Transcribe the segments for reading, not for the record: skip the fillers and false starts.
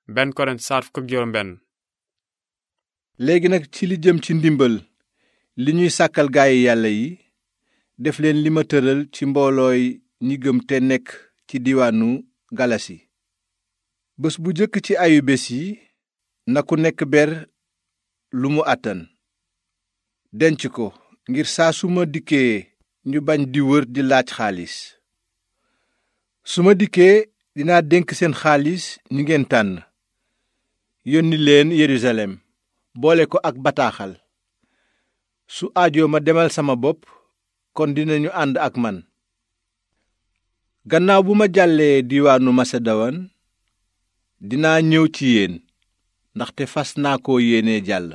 benn Korent saar fukk ak juróom benn. léegi nag ci li jëm ci ndimbal li ñuy sàkkal gaayi yàlla yi, def leen li ma tëral ci mboolooy ñi gëm te nekk ci diwaanu galasi. bés bu jëkk ci ayu bés yi na ku nekk ber lu mu àttan denc ko ngir saa su ma dikkee ñu bañ di wër di laaj xaalis. su ma dikkee dinaa dénk seen xaalis ñi ngeen tànn, yónni leen Yerusalem boole ko ak bataaxal. su aajoo ma demal sama bopp, kon dinañu ànd ak man. gannaaw bu ma jàllee diwaanu Masedowan dinaa ñëw ci yéen, ndaxte fas naa ko yéene jàll.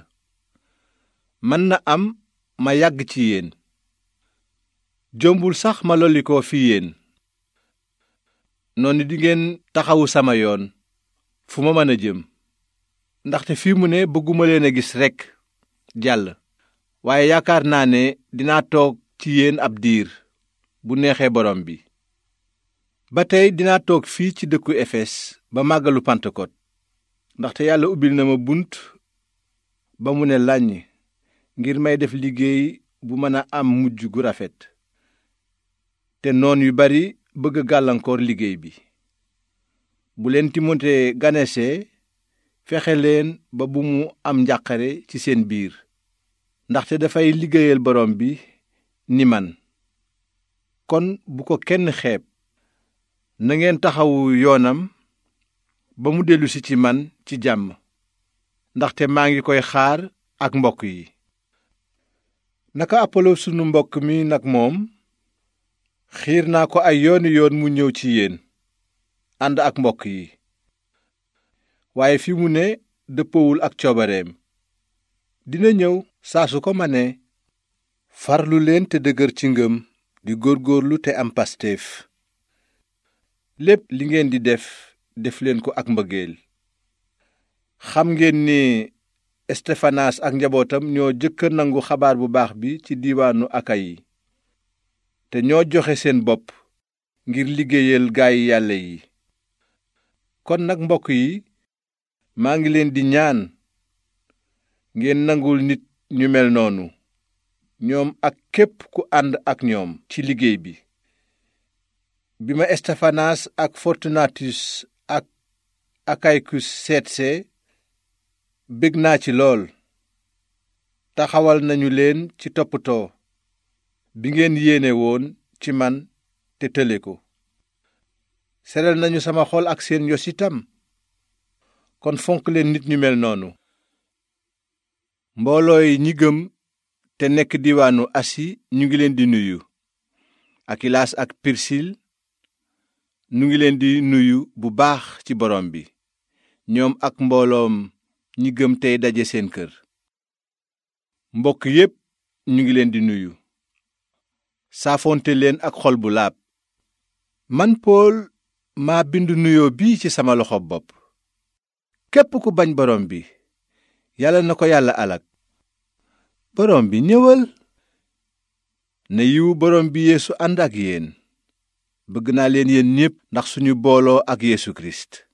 mën na am ma yàgg ci yéen. jombul sax ma lollikoo fi yéen. noonu dingeen taxawu sama yoon fu ma mën a jëm, ndaxte fii mu ne bëgguma leen a gis rekk jàll, waaye yaakaar naa ne dinaa toog ci yéen ab diir bu neexee borom bi. ba tey dinaa toog fii ci dëkku Efes ba màggalu Pentecôte, ndaxte yàlla ubbil na ma bunt ba mu ne làññ ngir may def liggéey bu mën a am mujj gu rafet. te noon yu bari bëgg gàllankoor liggéey bi. bu leen Timote ganesee fexe leen ba bu mu am njàqare ci seen biir, ndaxte dafay liggéeyal borom bi ni man. kon bu ko kenn xeeb, na ngeen taxawu yoonam ba mu dellusi ci man ci jàmm, ndaxte maa ngi koy xaar ak mbokk yi. naka Apolo sunu mbokk mi nag moom xiir naa ko ay yooni yoon mu ñëw ci yéen ànd ak mbokk yi, waaye fi mu ne dëppowul ak coobareem. dina ñëw saa su ko manee. farlu leen te dëgër ci ngëm, di góorgóorlu te am pasteef. lépp li ngeen di def, def leen ko ak mbëggeel. xam ngeen ni Estefanaas ak njabootam ñoo jëkk nangu xabaar bu baax bi ci diiwaanu Akayi, te ñoo joxe seen bopp ngir liggéeyal gaayi yàlla yi. kon nag mbokk yi, maa ngi leen di ñaan ngeen nangul nit ñu mel noonu, ñoom ak képp ku ànd ak ñoom ci liggéey bi. bi ma Estefanaas ak Fortunatus ak Akaykus seetsee, bég naa ci lool. taxawal nañu leen ci toppatoo bi ngeen yéene woon ci man te tële ko. seral nañu sama xol ak seen yos itam. kon fonk leen nit ñu mel noonu. mboolooy ñi gëm te nekk diwaanu Asi ñu ngi leen di nuyu. Akilaas ak Pirsil ñu ngi leen di nuyu bu baax ci borom bi, ñoom ak mbooloom ñi gëm tey daje seen kër. mbokk yépp ñu ngi leen di nuyu. saafonte leen ak xol bu laab. man Pool maa bind nuyoo bii ci sama loxo bopp. képp ku bañ borom bi, yàlla na ko yàlla alak. borom bi ñëwal. na yiwu borom bi Yeesu ànd ak yéen. bëgg naa leen yéen ñépp ndax suñu booloo ak Yeesu Kirist.